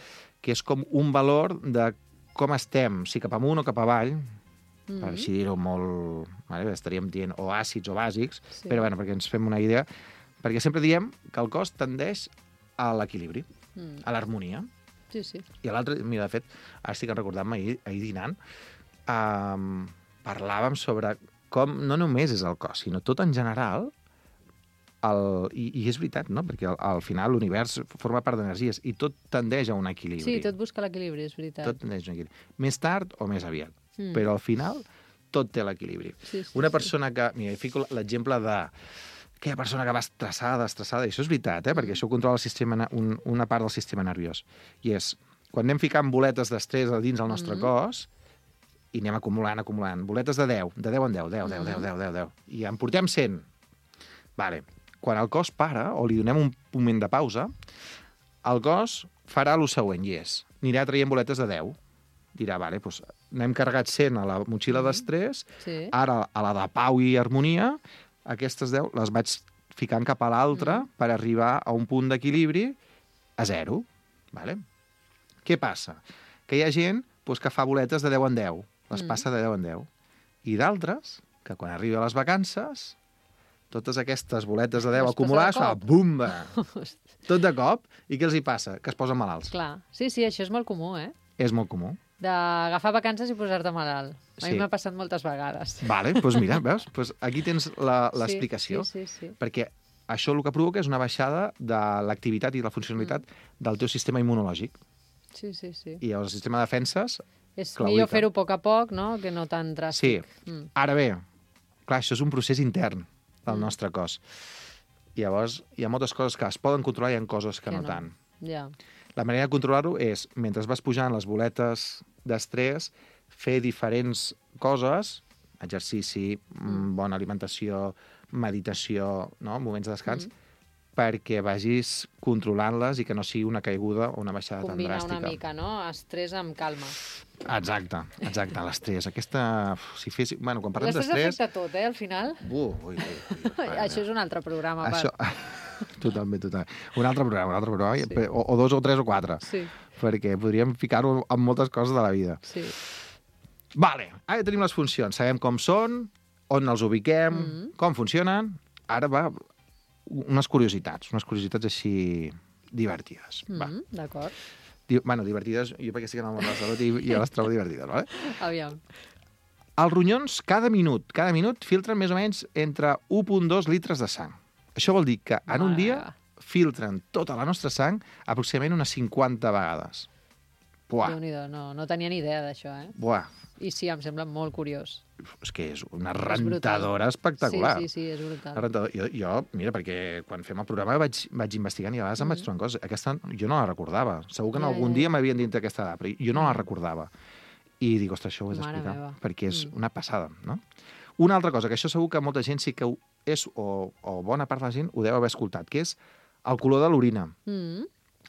que és com un valor de com estem, si cap amunt o cap avall, mm-hmm. per així dir-ho molt... Vale, estaríem dient o àcids o bàsics, sí. però bueno, perquè ens fem una idea, perquè sempre diem que el cos tendeix a l'equilibri, mm. a l'harmonia. Sí, sí. I l'altre, mira, de fet, ara estic recordant-me ahir, ahir dinant, um, parlàvem sobre com no només és el cos, sinó tot en general, el, i, i és veritat, no? Perquè al, al final l'univers forma part d'energies i tot tendeix a un equilibri. Sí, tot busca l'equilibri, és veritat. Tot tendeix a un equilibri. Més tard o més aviat. Mm. Però al final tot té l'equilibri. Sí, sí, Una persona sí. que... Mira, fico l'exemple de... aquella persona que va estressada, estressada, i això és veritat, eh? perquè això controla el sistema, un, una part del sistema nerviós. I és, quan anem ficant boletes d'estrès a dins del nostre mm-hmm. cos, i anem acumulant, acumulant, boletes de deu, de deu en deu, deu, deu, deu, deu, deu, deu, i en portem cent. Vale. Quan el cos para, o li donem un moment de pausa, el cos farà el següent, i és, anirà traient boletes de deu. Dirà, vale, doncs n'hem carregat cent a la motxilla mm-hmm. d'estrès, sí. ara a la de pau i harmonia, aquestes deu les vaig ficant cap a l'altre mm. per arribar a un punt d'equilibri a zero. Vale? Què passa? Que hi ha gent doncs, que fa boletes de deu en deu, les mm. passa de deu en deu. I d'altres, que quan arriba a les vacances, totes aquestes boletes de deu acumulades, fa bumba! Tot de cop. I què els hi passa? Que es posen malalts. Clar. Sí, sí, això és molt comú, eh? És molt comú. D'agafar vacances i posar-te malalt. A sí. mi m'ha passat moltes vegades. Vale, doncs mira, veus? Pues aquí tens l'explicació. Sí, sí, sí, sí. Perquè això el que provoca és una baixada de l'activitat i la funcionalitat mm. del teu sistema immunològic. Sí, sí, sí. I el sistema de defenses... És millor fer-ho a poc a poc, no?, que no tan dràstic. Sí. Mm. Ara bé, clar, això és un procés intern del mm. nostre cos. I llavors hi ha moltes coses que es poden controlar i hi ha coses que, que no, no tant. Ja. La manera de controlar-ho és, mentre vas pujant les boletes d'estrès, fer diferents coses, exercici, mm. bona alimentació, meditació, no? Moments de descans, mm. perquè vagis controlant-les i que no sigui una caiguda o una baixada Combinar tan dràstica. una mica, no? Estrès amb calma. Exacte, exacte, l'estrès. Aquesta... Si fes... Bueno, quan parlem L'estrès d'estrès... afecta tot, eh, al final. Uh, ui, ui, ui, Això és un altre programa. Això... Totalment, totalment. Un altre programa, un altre programa, Sí. o, o dos o tres o quatre, Sí, perquè podríem ficar-ho en moltes coses de la vida. sí. Vale, ara tenim les funcions. Sabem com són, on els ubiquem, mm -hmm. com funcionen. Ara va, unes curiositats, unes curiositats així divertides. Mm Va. -hmm, d'acord. Di bueno, divertides, jo perquè estic en el món de la salut i, i jo les trobo divertides, vale? Aviam. Els ronyons, cada minut, cada minut, filtren més o menys entre un coma dos litres de sang. Això vol dir que en un Mare dia meva. filtren tota la nostra sang aproximadament unes cinquanta vegades. Buah, Déu-n'hi-do, no, no tenia ni idea d'això, eh? buah. I sí, em sembla molt curiós. És que és una És brutal. rentadora espectacular. Sí, sí, sí, és brutal. Una rentadora. Jo, jo, mira, perquè quan fem el programa vaig, vaig investigant i a vegades em vaig trobant coses. Aquesta jo no la recordava. Segur que en Ja, algun ja, dia ja. m'havien dit aquesta edat, però jo no la recordava. I dic, ostres, això ho he Mare d'explicar, meva. perquè és Mm. una passada, no? Una altra cosa, que això segur que molta gent sí que ho és, o, o bona part de la gent ho deu haver escoltat, que és el color de l'orina, Mm,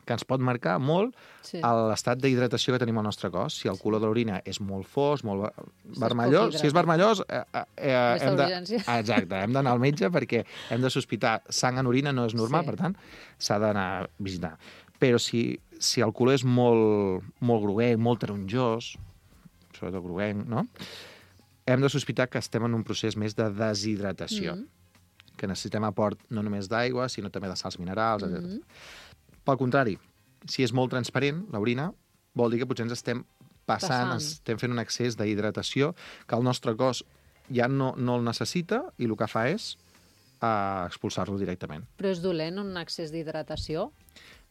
que ens pot marcar molt sí. l'estat d'hidratació que tenim al nostre cos. Si el color de l'orina és molt fos, molt ver- vermellós, poc si és vermellós, eh, eh, eh, Vés a hem de... urgències. Exacte, hem d'anar al metge perquè hem de sospitar sang en orina, no és normal, Sí. per tant, s'ha d'anar a visitar. Però si, si el color és molt, molt groguenc, molt taronjós, sobretot groguenc, no? Hem de sospitar que estem en un procés més de deshidratació, Mm. que necessitem aport no només d'aigua, sinó també de sals minerals, Mm. etcètera. Pel contrari, si és molt transparent, l'orina, vol dir que potser ens estem passant, Passant. estem fent un excés d'hidratació que el nostre cos ja no, no el necessita i el que fa és uh, expulsar-lo directament. Però és dolent un excés d'hidratació?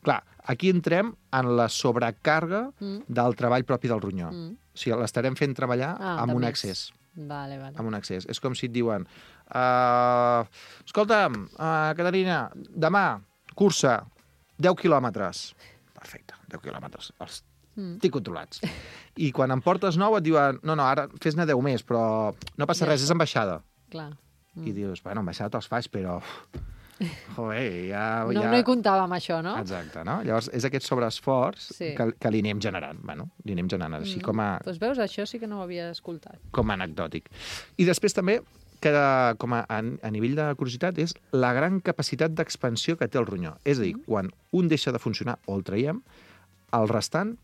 Clar, aquí entrem en la sobrecàrrega Mm. del treball propi del ronyó. Mm. O sigui, l'estarem fent treballar Ah, amb de un més. excés. Vale, vale. Amb un excés. És com si et diuen uh, escolta'm, uh, Caterina, demà, cursa, deu quilòmetres. Perfecte, deu quilòmetres. Els Mm. tinc controlats. I quan en portes nou et diuen no, no, ara fes-ne deu més, però no passa Ja res, està. és en baixada. Clar. Mm. I dius, bueno, en baixada te'ls faig, però... Joder, ja... No, ja... no hi comptava amb això, no? Exacte, no? Llavors, és aquest sobreesforç Sí. que, que li anem generant. Bueno, li anem generant, així com a, Doncs veus, això sí que no ho havia escoltat. com a anecdòtic. I després també, que com a, a, a nivell de curiositat, és la gran capacitat d'expansió que té el ronyó. És a dir, quan un deixa de funcionar o el traiem, el restant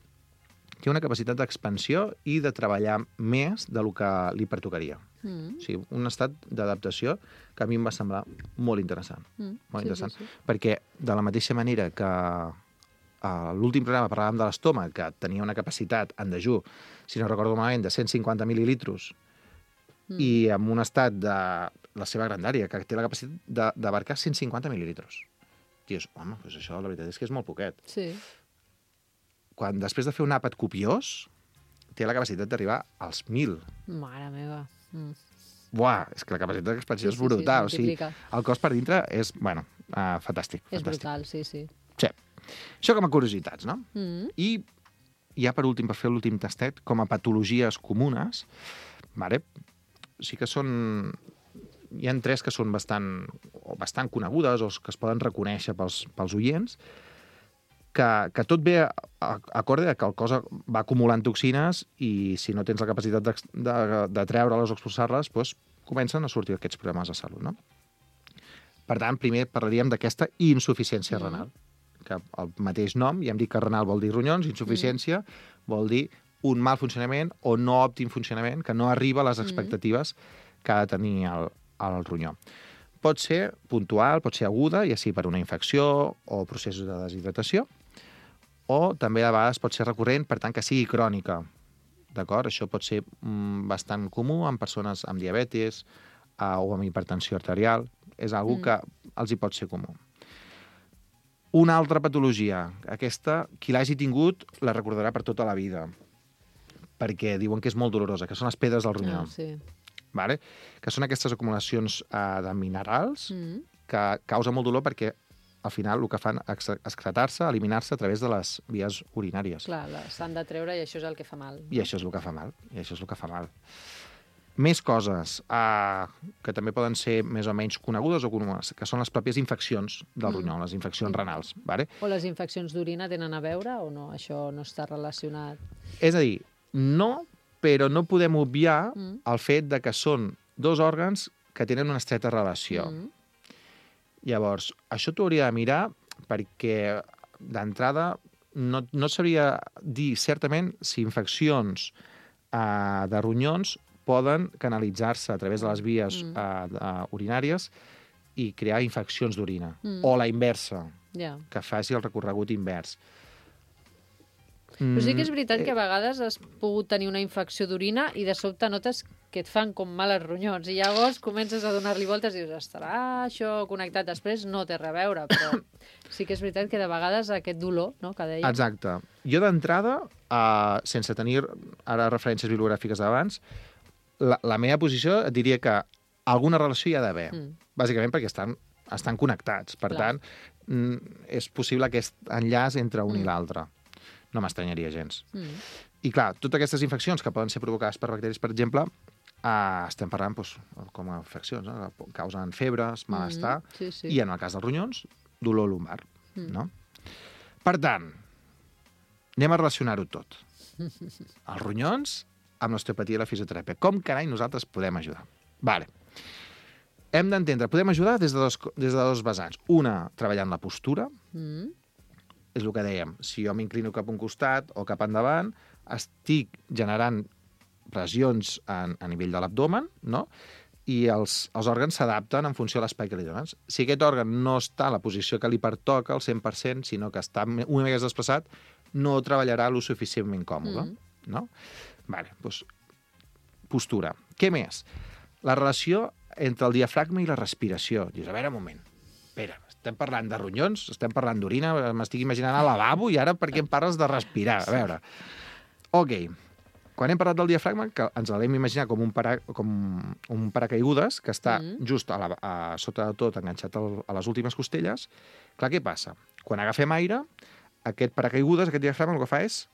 té una capacitat d'expansió i de treballar més del que li pertocaria. Mm. O sigui, un estat d'adaptació que a mi em va semblar molt interessant. Mm. Molt Sí, interessant. sí, sí. Perquè de la mateixa manera que a l'últim programa parlàvem de l'estómac, que tenia una capacitat en dejú, si no recordo malament, de cent cinquanta mil·lilitros, Mm. i amb un estat de la seva grandària, que té la capacitat de- d'abarcar cent cinquanta mil·lilitros. Dius, home, doncs això la veritat és que és molt poquet. Sí. Quan després de fer un àpat copiós, té la capacitat d'arribar als mil. Mare meva. Mm. Buah, és que la capacitat d'expansió Sí, és sí, sí, brutal. es o sigui, multiplica. el cos per dintre és, bueno, uh, fantàstic. És fantàstic. brutal, sí, sí. Sí. Això com a curiositats, no? Mm. I ja per últim, per fer l'últim tastet, com a patologies comunes, vale, sí que són... Hi ha tres que són bastant, o bastant conegudes o que es poden reconèixer pels, pels oients, que, que tot ve a, a, acorde a que el cos va acumulant toxines i si no tens la capacitat de, de, de treure-les o expulsar-les, doncs comencen a sortir aquests problemes de salut, no? Per tant, primer parlaríem d'aquesta insuficiència Mm. renal, que el mateix nom, ja hem dit que renal vol dir ronyons, insuficiència mm. vol dir un mal funcionament o no òptim funcionament, que no arriba a les expectatives que ha de tenir el, el ronyó. Pot ser puntual, pot ser aguda, ja sigui per una infecció o processos de deshidratació, o també a vegades pot ser recurrent, per tant que sigui crònica. D'acord? Això pot ser mm, bastant comú en persones amb diabetis uh, o amb hipertensió arterial. És algo mm. que els hi pot ser comú. Una altra patologia. Aquesta, qui l'hagi tingut, la recordarà per tota la vida, perquè diuen que és molt dolorosa, que són les pedres del ronyó. Ah, sí. Vale? Que són aquestes acumulacions uh, de minerals Mm. que causen molt dolor perquè al final el que fan és excretar-se, eliminar-se a través de les vies urinàries. Clar, la- s'han de treure i això és el que fa mal. I això és el que fa mal. I això és el que fa mal. Més coses uh, que també poden ser més o menys conegudes o conegudes, que són les pròpies infeccions del Mm. ronyó, les infeccions renals. Vale? O les infeccions d'orina tenen a veure o no? Això no està relacionat? És a dir, no, però no podem obviar Mm. el fet de que són dos òrgans que tenen una estreta relació. Mm. Llavors, això t'ho hauria de mirar perquè, d'entrada, no, no sabria dir certament si infeccions uh, de ronyons poden canalitzar-se a través de les vies Mm. uh, uh, urinàries i crear infeccions d'orina. Mm. O la inversa, Ja. que faci el recorregut invers. Però sí que és veritat Mm, que a vegades has pogut tenir una infecció d'orina i de sobte notes que et fan com mal els ronyons i llavors comences a donar-li voltes i dius, estarà això connectat? Després no té res a veure, però sí que és veritat que de vegades aquest dolor, no?, que deia... Exacte. Jo d'entrada, uh, sense tenir ara referències bibliogràfiques d'abans, la, la meva posició et diria que alguna relació hi ha d'haver, Mm. bàsicament perquè estan, estan connectats. Per Clar. tant, mm, és possible aquest enllaç entre un Mm. i l'altre. No m'estranyaria gens. Mm. I clar, totes aquestes infeccions que poden ser provocades per bacteris, per exemple, uh, estem parlant doncs, com a infeccions, no? Causen febres, malestar, Mm. Sí, sí. i en el cas dels ronyons, dolor lumbar. Mm. No? Per tant, anem a relacionar-ho tot. Els ronyons amb l'osteopatia i la fisioteràpia. Com carai nosaltres podem ajudar? Vale. Hem d'entendre, podem ajudar des de, dos, des de dos vessants. Una, treballant la postura, Mm. és el que dèiem, si jo m'inclino cap a un costat o cap endavant, estic generant pressions a, a nivell de l'abdomen, no? I els, els òrgans s'adapten en funció de l'espai que li dones. Si aquest òrgan no està en la posició que li pertoca al cent per cent, sinó que està una mica més desplaçat, no treballarà lo suficientment còmode. Mm. No? Vale, doncs, postura. Què més? La relació entre el diafragma i la respiració. Dius, a veure, un moment. Espera, estem parlant de ronyons, estem parlant d'orina, m'estic imaginant al lavabo i ara per què em parles de respirar? A veure. Ok. Quan hem parlat del diafragma, que ens l'hem imaginat com un, para, com un paracaigudes que està Mm. just a, la, a sota de tot enganxat al, a les últimes costelles, clar, què passa? Quan agafem aire, aquest paracaigudes, aquest diafragma, el que fa és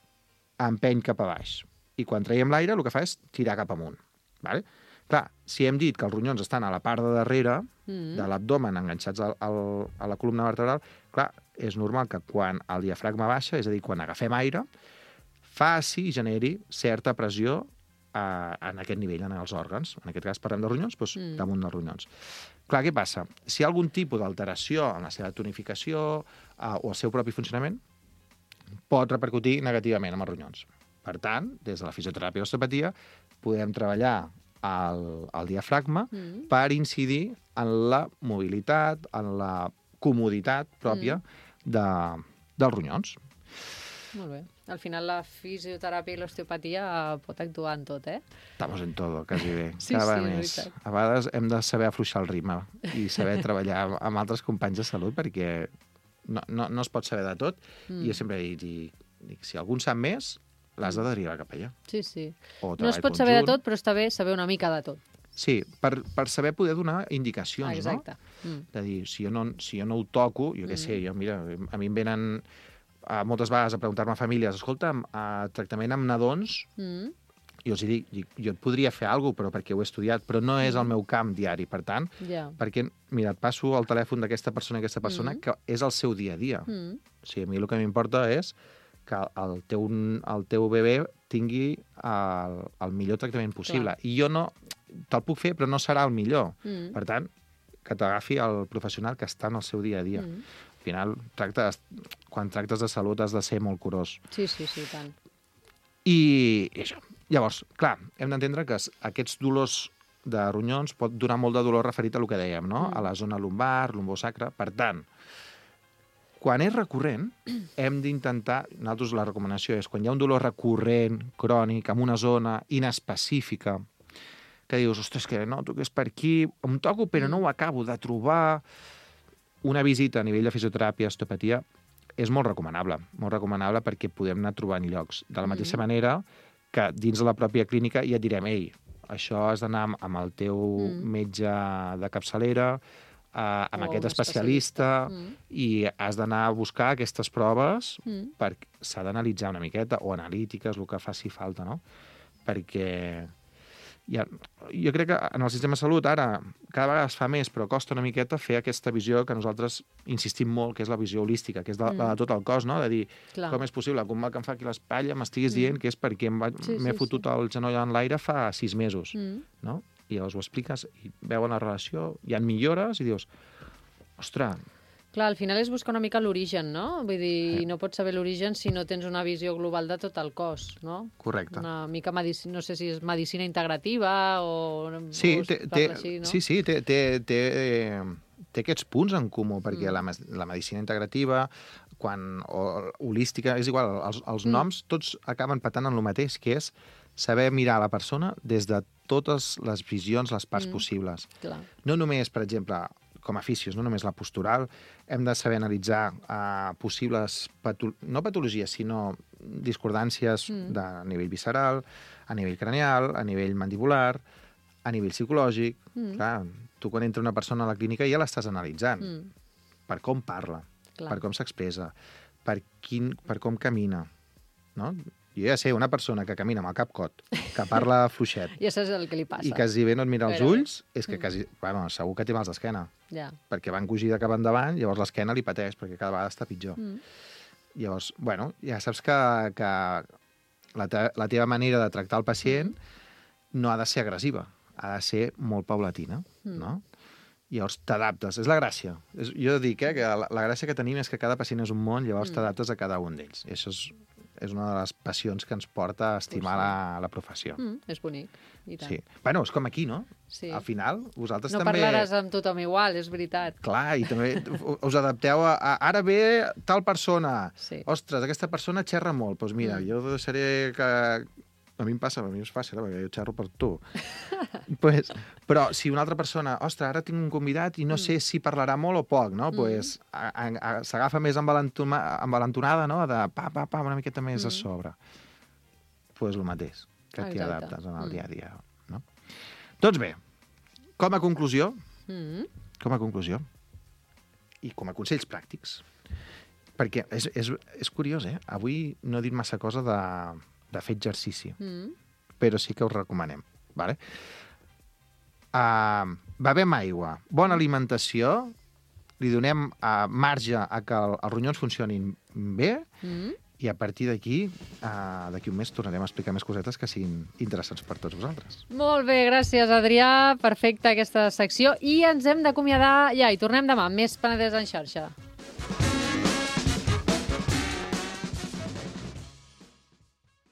empeny cap a baix. I quan traiem l'aire, el que fa és tirar cap amunt. Vale? Clar, si hem dit que els ronyons estan a la part de darrere Mm. de l'abdomen enganxats al, al, a la columna vertebral, clar, és normal que quan el diafragma baixa, és a dir, quan agafem aire, faci i generi certa pressió eh, en aquest nivell, en els òrgans. En aquest cas parlem de ronyons, doncs Mm. damunt dels ronyons. Clar, què passa? Si hi ha algun tipus d'alteració en la seva tonificació eh, o el seu propi funcionament, pot repercutir negativament amb els ronyons. Per tant, des de la fisioteràpia i l'osteopatia, podem treballar el, el diafragma Mm. per incidir en la mobilitat, en la comoditat pròpia Mm. de, dels ronyons. Molt bé. Al final la fisioteràpia i l'osteopatia pot actuar en tot, eh? Estamos en todo, quasi bé. Sí, Cada sí, vegada és més. veritat. A vegades hem de saber afluixar el ritme i saber treballar amb altres companys de salut perquè no, no, no es pot saber de tot. Mm. I jo sempre dic, dic, dic si algú en sap més, l'has de derivar cap allà. Sí, sí. O No es treball pot saber de conjunt. tot, però està bé saber una mica de tot. Sí, per, per saber poder donar indicacions, Ah, exacte. no? Mm. De dir, si jo no, si jo no ho toco, jo què Mm. sé, jo, mira, a mi em venen uh, moltes vegades a preguntar-me a famílies, escolta, uh, tractament amb nadons, Mm. jo els dic, dic, jo et podria fer alguna cosa, però perquè ho he estudiat, però no és el meu camp diari, per tant, Ja. perquè, mira, et passo el telèfon d'aquesta persona i aquesta persona, Mm. que és el seu dia a dia. Mm. O sigui, a mi el que m'importa és que el teu, el teu bebè tingui el, el millor tractament possible. Clar. I jo no... Te'l puc fer, però no serà el millor. Mm. Per tant, que t'agafi el professional que està en el seu dia a dia. Mm. Al final, tractes, quan tractes de salut has de ser molt curós. Sí, sí, sí, tant. I, i això. Llavors, clar, hem d'entendre que es- aquests dolors de ronyons pot donar molt de dolor referit a el que dèiem, no? Mm. A la zona lumbar, lumbosacra. Per tant, quan és recurrent, hem d'intentar... Nosaltres la recomanació és quan hi ha un dolor recurrent, crònic, en una zona inespecífica, que dius, ostres, que noto que és per aquí, em toco però no ho acabo de trobar. Una visita a nivell de fisioteràpia, osteopatia, és molt recomanable, molt recomanable perquè podem anar trobant llocs. De la mateixa Mm. manera que dins de la pròpia clínica ja et direm, ei, això has d'anar amb, amb el teu Mm. metge de capçalera, eh, amb O aquest un especialista, Mm. i has d'anar a buscar aquestes proves Mm. perquè s'ha d'analitzar una miqueta, o analítiques, el que faci falta, no? Perquè Ja, jo crec que en el sistema de salut ara cada vegada es fa més, però costa una miqueta fer aquesta visió que nosaltres insistim molt, que és la visió holística, que és de, mm. la de tot el cos, no? De dir, clar, com és possible que un mal que em fa aquí l'espatlla m'estiguis mm. dient que és perquè m'he sí, sí, fotut sí. el genoll en l'aire fa sis mesos, mm. no? I llavors ho expliques i veuen la relació, hi ha millores i dius, ostres... Clar, al final és buscar una mica l'origen, no? Vull dir, sí. no pots saber l'origen si no tens una visió global de tot el cos, no? Correcte. Una mica, medici... no sé si és medicina integrativa o... Sí, o té, té, així, no? sí, sí, té, té, té, té aquests punts en comú, perquè mm. la, la medicina integrativa, quan, o holística, és igual, els, els mm. noms tots acaben patant en el mateix, que és saber mirar la persona des de totes les visions, les parts mm. possibles. Clar. No només, per exemple, com a fisios, no només la postural, hem de saber analitzar uh, possibles, pato no patologies, sinó discordàncies mm. de nivell visceral, a nivell cranial, a nivell mandibular, a nivell psicològic. Mm. Clar, tu quan entra una persona a la clínica ja l'estàs analitzant. Mm. Per com parla, clar, per com s'expressa, per, quin, per com camina, no? Jo ja sé, una persona que camina amb el cap cot, que parla fluixet... I això és el que li passa. I quasi bé no et mira els ulls, és que quasi... Bueno, segur que té mals d'esquena. Ja. Perquè va encogir de cap endavant, llavors l'esquena li pateix, perquè cada vegada està pitjor. Mm. Llavors, bueno, ja saps que, que la, te la teva manera de tractar el pacient no ha de ser agressiva, ha de ser molt paulatina, mm. no? Llavors t'adaptes, és la gràcia. És, jo dic eh, que la, la gràcia que tenim és que cada pacient és un món, llavors mm. t'adaptes a cada un d'ells. I això és... és una de les passions que ens porta a estimar la, la professió. Mm, és bonic, i tant. Sí. Bueno, és com aquí, no? Sí. Al final, vosaltres no també... No parlaràs amb tothom igual, és veritat. Clar, i també us adapteu a... a ara ve tal persona. Sí. Ostres, aquesta persona xerra molt. Doncs pues mira, mm. jo deixaré que... A mi em passa, a mi és fàcil, eh, perquè jo xerro per tu. pues, però si una altra persona, ostres, ara tinc un convidat i no mm. sé si parlarà molt o poc, no? Mm. Pues, s'agafa més envalentonada, no? De pa, pa, pa, una miqueta més mm. a sobre. Pues el mateix, que t'hi adaptes en el mm. dia a dia, no? Doncs bé, com a conclusió, mm. com a conclusió, i com a consells pràctics, perquè és, és, és curiós, eh? Avui no he dit massa cosa de... de fer exercici, mm. però sí que us recomanem. Vale? Uh, bevem aigua, bona alimentació, li donem uh, marge a que el, els ronyons funcionin bé mm. i a partir d'aquí, uh, d'aquí un mes, tornarem a explicar més cosetes que siguin interessants per tots vosaltres. Molt bé, gràcies, Adrià. Perfecta aquesta secció. I ens hem d'acomiadar ja, i tornem demà. Més Penedès en xarxa.